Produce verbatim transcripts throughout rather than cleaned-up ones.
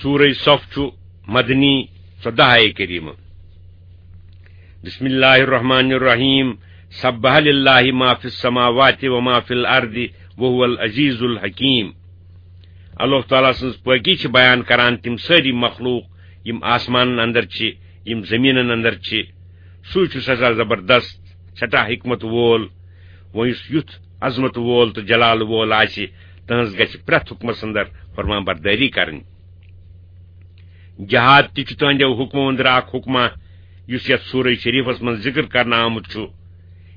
سورہ صف چھُ مدنی، ژۄداہ آیہِ کریمہ۔ بسم اللہ الرحمن الرحیم۔ سبح للہ ما فی السماوات و ما فی الارض وهو العزیز الحکیم۔ اللہ تعالیٰ سٕنٛز پٲکی چھِ بیان کران تِم سٲری مخلوق، یِم آسمانن اندر چھِ، یِم زمینن اندر چھِ۔ سُے چھُ سٮ۪ٹھاہ زبردست، سٮ۪ٹھاہ حکمت وول۔ وۄنۍ یُس یُتھ عظمت وول تہٕ جلال وول آسہِ، تہنٛز گژھِ پرٛٮ۪تھ حکمس اندر فرمان بردٲری کرٕنۍ۔ جہاد تہِ چھُ تہنٛدیو حکمو اندر اکھ حکمہ، یُس یتھ سورہ شریفس منٛز ذکر کرنہٕ آمُت چھُ،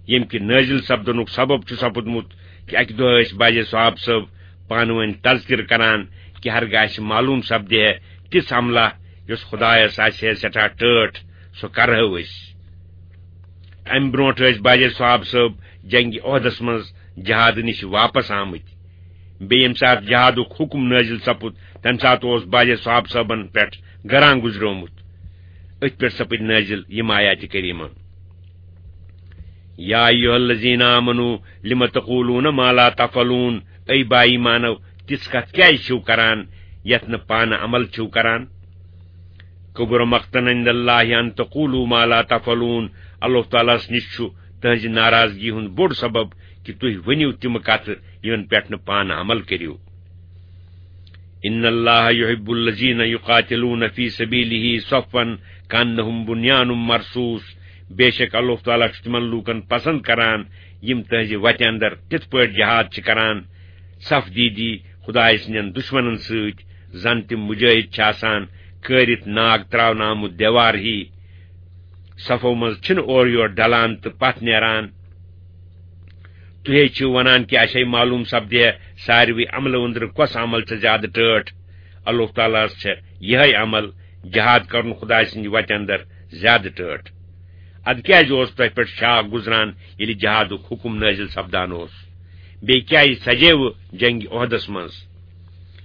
ییٚمہِ کہِ نٲزِل سپدنُک سبب چھُ سپُدمُت کہِ اکہِ دۄہ ٲسۍ باجے صحاب صٲب پانہٕ ؤنۍ تذکرٕ کران کہِ ہرگاہ اسہِ معلوم سپدِ ہے تِژھ عملہ، یۄس خدایس آسہِ ہے سٮ۪ٹھاہ ٹٲٹھ، سۄ کرہو أسۍ۔ امہِ برونٹھ ٲسۍ باجے صحاب صٲب جنگِ احدس منٛز جہاد نِش واپس آمٕتۍ۔ بیٚیہِ ییٚمہِ ساتہٕ جہادُک حکم نٲزِل سپُد، تمہِ ساتہٕ اوس باجے صحاب صٲبن پٮ۪ٹھ گران گُزریومُت۔ أتھۍ پٮ۪ٹھ سپٕدۍ نٲزِل یِم آیاتِ کریمہ۔ یا ایھا الذین آمنوا لم تقولون ما لا تفعلون، اے با ایمانو، تِژھ کتھ کیازِ چھِو کران یتھ نہٕ پانہٕ عمل چھِو کران؟ کبر مقتا عند اللہ ان تقولوا ما لا تفعلون، اللہ تعالیٰ ہس نِش چھُ تہنٛزِ ناراضگی ہُنٛد بوٚڑ سبب کہِ تُہۍ ؤنِو تِم کتھٕ یِمن پٮ۪ٹھ نہٕ پانہٕ عمل کٔرِو۔ ان اللہ یحب الذین یقاتلون فی سبیلہ صفا کانہم بنیان مرصوص، بے شک اللہ تعالیٰ چھُ تِمن لوٗکن پسند کران یِم تہنٛزِ وتہِ اندر تِتھ پٲٹھۍ جہاد چھِ کران، صف دیٖدی خدایہِ سٕنٛدٮ۪ن دُشمنن سۭتۍ، زن تِم مجاہد چھِ آسان کٲرِتھ ناگ تراونہٕ آمُت دیوار ہی۔ صفو منٛز چھِنہٕ اورٕ یور ڈلان تہٕ پتھ نیران۔ تُہۍ ہے چھِو ونان کہِ اسے معلوم سپدِ ہے ساروی عملو أنٛدرٕ کۄس عمل چھِ زیادٕ ٹٲٹھ۔ اللہ تعالیٰ ہس چھےٚ یِہے عمل، جہاد کرُن خدایہِ سٕنٛدِ وتہِ اندر، زیادٕ ٹٲٹھ۔ ادٕ کیازِ اوس تۄہہِ پٮ۪ٹھ شاہ گُزران ییٚلہِ جہادُک حکم نٲزِل سپدان اوس؟ بیٚیہِ کیازِ سجیوٕ جنگِ احدس منٛز؟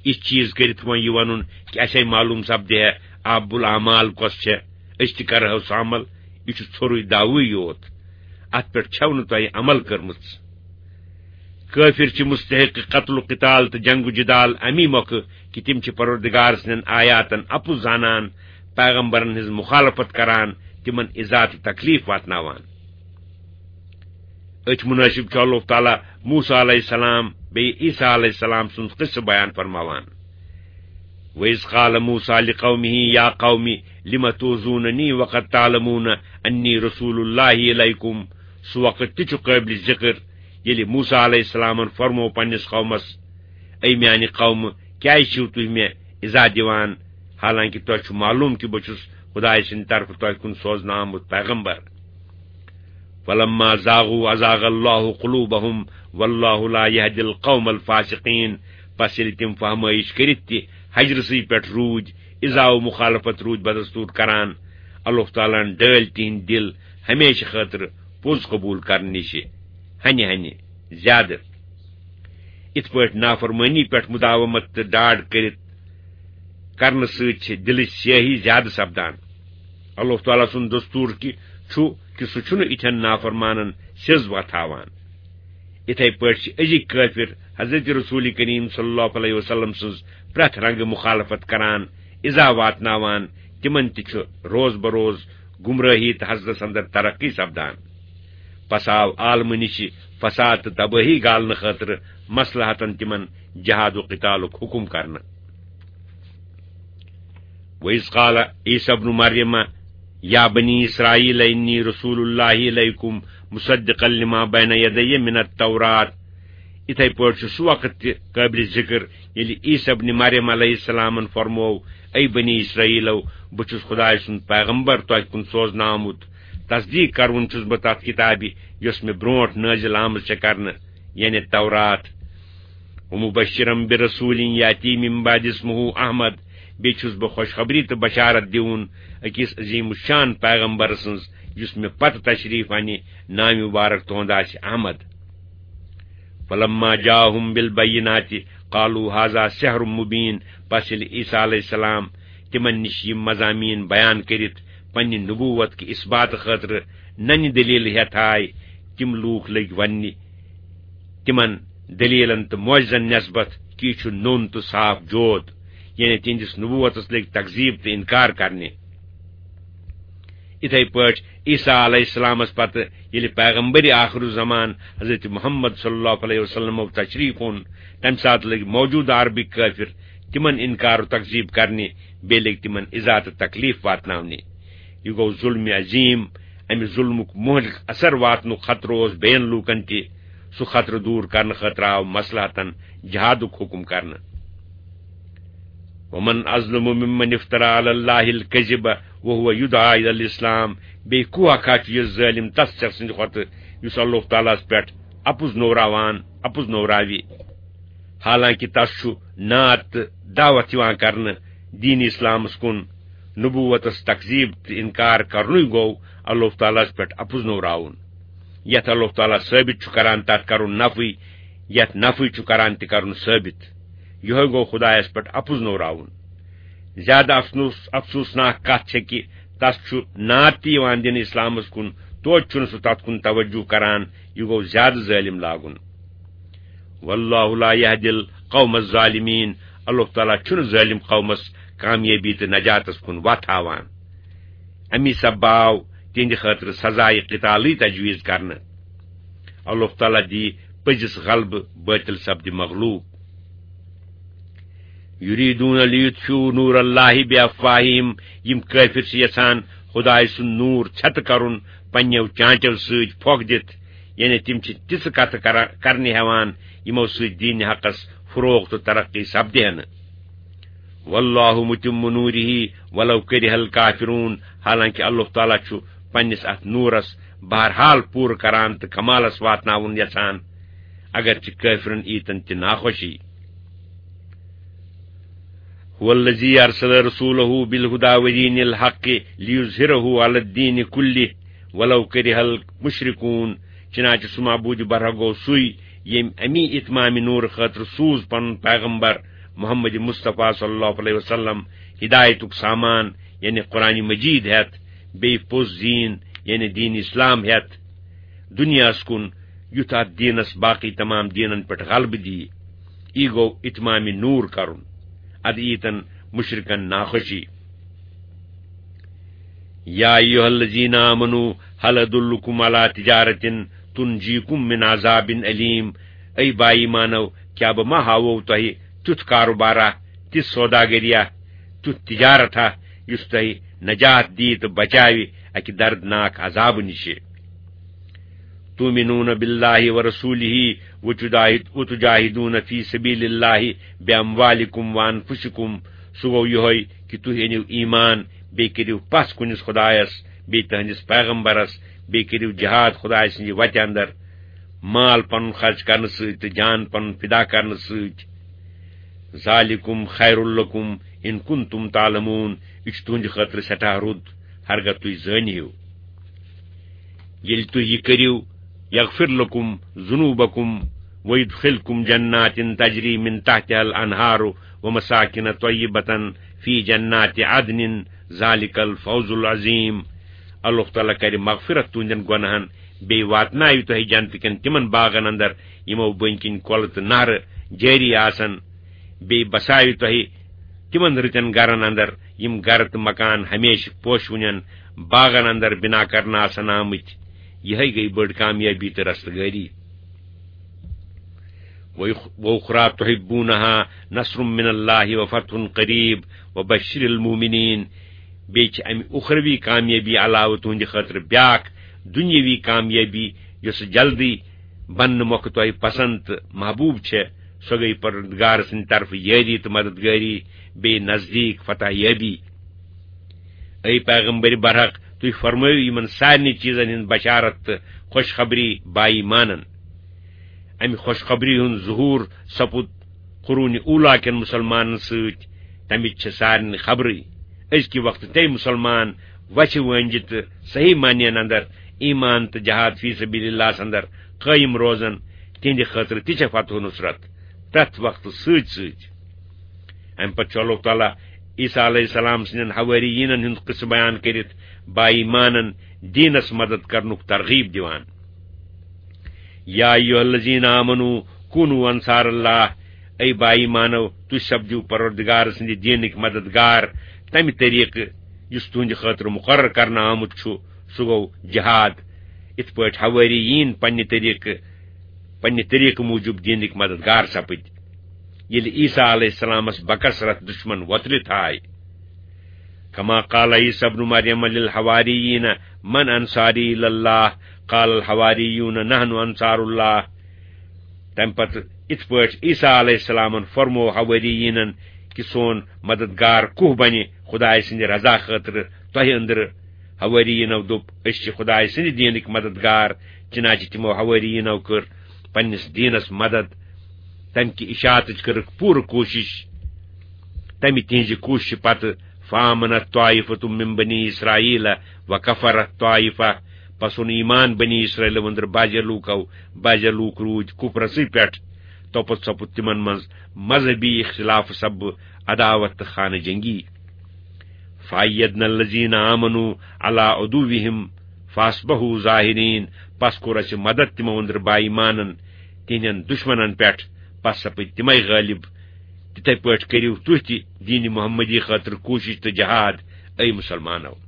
یِتھ چیز کٔرِتھ وۄنۍ یہِ ونُن کہِ اسے معلوم سپدِ ہے احب الاعمال کۄس چھےٚ، أسۍ تہِ کرہو سُہ عمل، یہِ چھُ ژھوٚرُے دعوٕے یوت۔ اتھ پٮ۪ٹھ چھَو نہٕ تۄہہِ عمل کٔرمٕژ۔ کٲفِر چھِ مستحق قتل و قتال تہٕ جنگ و جدال امی مۄکھٕ کہِ تِم چھِ پروردگار سٕنٛدٮ۪ن آیاتن اپُز زانان، پیغمبرن ہٕنٛز مخالفت کران، تِمن اِزا تہٕ تکلیف واتناوان۔ أتھۍ مُنٲسِب چھُ اللہ تعالیٰ موسیٰ علیہ السلام بیٚیہِ عیسیٰ علیہ السلام سُنٛد قصہٕ بیان فرماوان۔ وَإِذْ قَالَ مُوسَىٰ لِقَوْمِهِ يَا قَوْمِ لِمَ تُؤْذُونَنِي وَقَدْ تَعْلَمُونَ أَنِّي رَسُولُ اللَّهِ إِلَيْكُمْ۔ سُہ وقت تہِ چھُ قٲبلِ ذِکر، ییٚلہِ موسیٰ علیہ السلامن فرموو پننِس قومس، اے میانہِ قومہٕ، کیازِ چھِو تُہۍ مےٚ اِزا دِوان، حالانکہِ تۄہہِ چھُ معلوم کہِ بہٕ چھُس خدایہِ سٕنٛدِ طرفہٕ تۄہہِ کُن سوزنہٕ آمُت پیغمبر؟ فلما زاغوا ازاغ اللہ قلوبہم واللہ لا یہدی القوم الفاسقین۔ پس ییٚلہِ تِم فہمٲیش کٔرِتھ تہِ ہجرسٕے پٮ۪ٹھ روٗدۍ، اِزا و مخالفت روٗدۍ بدستور کران، اللہ تعالیٰ ہن ڈٲلۍ تِہنٛدۍ دِل ہمیشہٕ خٲطرٕ پوٚز قبول کرنہٕ نِشہِ ہنہِ ہنہِ زیادٕ۔ اِتھ پٲٹھۍ نافرمٲنی پٮ۪ٹھ مداومت تہٕ ڈاڈ کٔرِتھ کرنہٕ سۭتۍ چھِ دِلٕچ سیاہی زیادٕ سپدان۔ اللہ تعالیٰ سُنٛد دستور کہِ چھُ کہِ سُہ چھُنہٕ اِتھٮ۪ن نافرمانن سیٚز وۄتھاوان۔ اِتھے پٲٹھۍ چھِ أزِکۍ کٲفِر حضرت رسول کریم صلی اللہ علیہ وسلم سٕنٛز پرٛٮ۪تھ رنگہٕ مخالفت کران، اِزا واتناوان، تِمن تہِ چھُ روز بروز گمرٲہی تہٕ حسدس اندر ترقی سپدان۔ پس آو عالمہٕ نِشہِ فساد تہٕ تبٲہی گالنہٕ خٲطرٕ مصلحتن تِمن جہاد و قتالُک حکم کرنہٕ۔ وَإِذْ قَالَ عِيسَى ابْنُ مَرْيَمَ يَا بَنِي إِسْرَائِيلَ إِنِّي رَسُولُ اللَّهِ إِلَيْكُمْ مُصَدِّقًا لِمَا بَيْنَ يَدَيَّ مِنَ التَّوْرَاةِ۔ اِتھے پٲٹھۍ چھُ سُہ وقت تہِ قٲبلِ ذِکر، ییٚلہِ عیسیٰ ابن مریم علیہ السلامن فرموو، اے بنی اسرائیلو، بہٕ چھُس خدایہِ سُنٛد پیغمبر تۄہہِ کُن سوزنہٕ آمُت، تصدیق کرون چھُس بہٕ تتھ کتابہِ، یۄس مےٚ برونٹھ نٲزِل آمٕژ چھےٚ کرنہٕ، یعنی تورات۔ ومبشرا برسول یاتی من بعد اسمہ احمد، بیٚیہِ چھُس بہٕ خوشخبری تہٕ بشارت دِوُن أکِس عظیم الشان پیغمبر سٕنٛز، یُس مےٚ پتہٕ تشریف انہِ، ناو مبارک تُہُنٛد آسہِ احمد۔ فلما جاءهم بالبینات قالوا هذا سحر مبین، پس ییٚلہِ عیسیٰ علیہ السلام تِمن نِش یِم مضامین بیان کٔرِتھ پننہِ نبوت کہِ اثبات خٲطرٕ ننہِ دلیل ہیتھ آے، تِم لوٗکھ لٔگۍ وننہِ تِمن دلیلن تہٕ معجزن نسبت کہِ یہِ چھُ نوٚن تہٕ صاف جود۔ یعنی تِہنٛدِس نبوتس لٔگۍ تکذیب تہٕ انکار کرنہِ۔ یِتھے پٲٹھۍ عیسیٰ علیہ السلامس پتہٕ ییٚلہِ پیغمبر آخر الزمان حضرت محمد صلی اللہ علیہ وسلم تشریف اوٚن، تمہِ ساتہٕ لٔگۍ موجودٕ عربٕکۍ کٲفر تِمن انکار و تکذیب کرنہِ، بیٚیہِ لٔگۍ تِمن اِزا تہٕ تکلیف واتناونہِ۔ یہِ گوٚو ظلم عظیم۔ امہِ ظلمُک مہلک اثر واتنُک خطرٕ اوس بیٚین لوٗکن تہِ۔ سُہ خطرٕ دوٗر کرنہٕ خٲطرٕ آو مصلحتن جہادُک حکم کرنہٕ۔ ومن اظلم ممن افترى على الله الكذب وهو يدعى الى الاسلام۔ بیٚیہِ کُس اکھ چھُ یہِ ظٲلم تس شخص سٕنٛدِ کھۄتہٕ یُس اللہ تعالیٰ ہس پٮ۪ٹھ اپُز نوراوان، اپُز نوراوِ، حالانکہ تس چھُ نعت تہٕ دعوت یِوان کرنہٕ دین اسلامس کُن۔ نبوتس تکذیب تہٕ انکار کرنُے گوٚو اللہ تعالیٰ ہس پٮ۪ٹھ اپُز نوراوُن۔ یتھ اللہ تعالیٰ ثٲبت چھُ کران، تتھ کرُن نفی، یتھ نفی چھُ کران، تہِ کرُن ثٲبت۔ یِہوٚے گوٚو خدایس پٮ۪ٹھ اپُز نوراوُن۔ زیادٕ افسوس، افسوسناک کتھ چھےٚ کہِ تس چھُ نعت تہِ یِوان دِنہٕ اسلامس کُن، توتہِ چھُنہٕ سُہ تتھ کُن توجہ کران۔ یہِ گوٚو زیادٕ ظٲلم لاگُن۔ واللہ لا یہدی القوم الظالمین۔ اللہ تعالیٰ چھُنہٕ ظٲلم قومس کامیٲبی تہٕ نجاتس کُن وتھ ہاوان۔ امی سببہٕ آو تِہنٛدِ خٲطرٕ سزایہِ قتالٕے تجویز کرنہٕ۔ اللہ تعالیٰ دی پٔزِس غلبہٕ، بٲطل سپدِ مغلوب۔ یریدون لیطفئوا نور اللہ بافواہہم۔ یِم کٲفر چھِ یژھان خدایہِ سُنٛد نور ژھٮ۪تہٕ کرُن پننیو چانچو سۭتۍ پھۄکھ دِتھ، یعنی تِم چھِ تِژھٕ کتھٕ کرا-، کرنہِ ہٮ۪وان، یِمو سۭتۍ دین حقس فروغ تہٕ ترقی سپدِ ہا نہٕ۔ واللہ متم نورہ ولو کرہ الکافرون۔ حالانکہ اللہ تعالیٰ چھُ پننِس اتھ نورس بہرحال پوٗرٕ کران تہٕ کمالس واتناوُن یژھان، اگرچہ کٲفرن ییٖتن تہِ ناخوشی۔ هو الذي ارسل رسوله بالهدى ودين الحق ليظهره على الدين كله ولو كره المشركون۔ چنانچہ سُہ معبود برحق گوٚو سُے، ییٚمۍ امی اتمام نور خٲطرٕ سوٗز پنُن پیغمبر محمد مصطفیٰ صلی اللہ علیہ وسلم ہدایتُک سامان، یعنی قرآن مجید ہٮ۪تھ، بیٚیہِ پوٚز دین، یعنی دین اسلام ہٮ۪تھ دنیاہس کُن، یُتھ اتھ دینس باقی تمام دینن پٮ۪ٹھ غلبہٕ دِیہِ۔ یی گوٚو اتمام نور کرُن۔ ادٕ ییٖتن مشرکن ناخوشی۔ یا ایھا الذین آمنوا هل ادلکم علی تجارة تنجیکم من عذاب الیم۔ اے با ایمانو، کیا بہٕ ما ہاوو تۄہہِ تیُتھ کاروبارا، تِژھ سوداگریا، تیُتھ تجارتا، یُس تۄہہِ نجات دِیہِ تہٕ بچاوِ اکہِ دردناک عذابہٕ نِشہِ؟ تؤمنون باللہ ورسولہ وتجاہد-، وتجاہدون فی سبیل اللہ باموالکم وانفسکم۔ سُہ گوٚو یِہوٚے کہِ تُہۍ أنِو ایمان، بیٚیہِ کٔرِو پژھ کُنِس خدایس، بیٚیہِ تٕہنٛدِس پیغمبرس، بیٚیہِ کٔرِو جہاد خدایہِ سٕنٛدِ وتہِ اندر، مال پنُن خرچ کرنہٕ سۭتۍ تہٕ جان پنُن فدا کرنہٕ سۭتۍ۔ ذالکم خیر لکم ان کنتم تعلمون۔ یہِ چھُ تُہنٛدِ خٲطرٕ سٮ۪ٹھاہ رُت، ہرگاہ تُہۍ زٲنۍ ہِو۔ ییٚلہِ تُہۍ یہِ کٔرِو، یغفر لکم ذنوبکم ویدخلکم جنات تجری من تحتها الانہار ومساکن طیبة فی جنات عدن، ذالک الفوز العظیم۔ اللہ تعالیٰ کرِ مغفرت تُہنٛدٮ۪ن گۄناہن، بیٚیہِ واتناوِ تۄہہِ جنتہٕ کٮ۪ن تِمن باغن اندر، یِمو بٔنۍ کِنۍ کۄلہٕ تہٕ نہرٕ جٲری آسن۔ بیٚیہِ بساوِ تۄہہِ تِمن رٕتٮ۪ن گرن اندر، یِم گرٕ تہٕ مکان ہمیشہٕ پوشہٕ وٕنٮ۪ن باغن اندر بنا کرنہٕ آسن آمٕتۍ۔ یِہے گٔے بٔڑ کامیٲبی تہٕ رستگٲری۔ وأخ-، وأخرى تحبونها نصر من الله وفتح قريب وبشر المؤمنين۔ بیٚیہِ چھِ امہِ اُخروی کامیٲبی علاوٕ تُہنٛدِ خٲطرٕ بیاکھ دُنیٲوی کامیٲبی، یۄس جلدی بننہٕ مۄکھٕ تۄہہِ پسند تہٕ محبوب چھےٚ۔ سۄ گٔیہِ پروردگار سٕنٛدِ طرفہٕ یٲری تہٕ مددگٲری، بیٚیہِ نزدیٖک فتح یٲبی۔ اے پیغمبر برحق، تُہۍ فرمٲیِو یِمن سارنٕے چیٖزن ہٕنٛز بشارت تہٕ خوشخبری با ایمانن۔ امہِ خوشخبری ہُنٛد ظہور سپُد قرون اولا کٮ۪ن مسلمانن سۭتۍ۔ تمِچ چھِ سارنٕے خبرٕے۔ أزکہِ وقتہٕ تہِ مسلمان وچھِ وٲنجہِ تہٕ صحیح معنین اندر ایمان تہٕ جہاد فی سبیل اللہ ہس اندر قٲیِم روزن، تِہنٛدِ خٲطرٕ تہِ چھےٚ فتح و نصرت پرٛٮ۪تھ وقتہٕ سۭتۍ سۭتۍ۔ امہِ پتہٕ چھُ اللہ تعالیٰ عیسیٰ علیہ السلام سٕنٛدٮ۪ن حوٲریٖنن ہُنٛد قصہٕ بیان کٔرِتھ با ایمانن دیٖنس مدد کرنُک ترغیب دِوان۔ یا ایھا الذین آمنوا کونوا انصار اللہ۔ اے با ایمانو، تُہۍ سپدِو پروردگار سٕنٛدِ دیٖنٕکۍ مددگار تمہِ طریقہٕ یُس تُہنٛدِ خٲطرٕ مُقرر کرنہٕ آمُت چھُ، سُہ گوٚو جہاد۔ یِتھ پٲٹھۍ حوٲریٖن پننہِ طریقہٕ، پننہِ طریقہٕ موٗجوٗب دیٖنٕکۍ مددگار سپٕدۍ، ییٚلہِ عیسیٰ علیہ السلامس بکثرت دُشمن وۄتلِتھ آے۔ کما قال عیسیٰ ابن مریم للحواریین، من انصاری الی اللہ؟ قال الحواریون نحن انصار اللہ۔ تمہِ پتہٕ، یِتھ پٲٹھۍ عیسیٰ علیہ السلامن فرموو حوٲریٖنن کہِ سون مددگار کُہ بنہِ خدایہِ سٕنٛدِ رضا خٲطرٕ تۄہہِ أنٛدرٕ؟ حوٲریٖنو دوٚپ، أسۍ چھِ خدایہِ سٕنٛدِ دیٖنٕکۍ مددگار۔ چنانچہ تِمو حوٲریٖنو کٔر پننِس دیٖنس مدد۔ تمہِ کہِ اشاعتٕچ کٔرٕکھ پوٗرٕ کوٗشش۔ تمہِ تِہنٛزِ کوٗششہِ پتہٕ، فآمنت طائفة من بنی اسرائیل وکفرت طائفہ، پس اوٚن ایمان بنی اسرائیل أنٛدرٕ بعضے لوٗکو، بعضے لوٗکھ روٗدۍ کُفرسٕے پٮ۪ٹھ۔ توپتہٕ سپُد تِمن منٛز مذہبی اختلاف سببہٕ عداوت تہٕ خانہٕ جنگی۔ فأیدنا الذین آمنوا علی عدوہم فاصبحوا ظاہرین، پس کوٚر اسہِ مدد تِمو أنٛدرٕ با ایمانن تِہنٛدٮ۪ن دُشمنن پٮ۪ٹھ، پس سپٕدۍ تِمے غٲلب۔ تِتھے پٲٹھۍ کٔرِو تُہۍ تہِ دیٖنِ محمدی خٲطرٕ کوٗشش تہٕ جہاد، اے مُسلمانو۔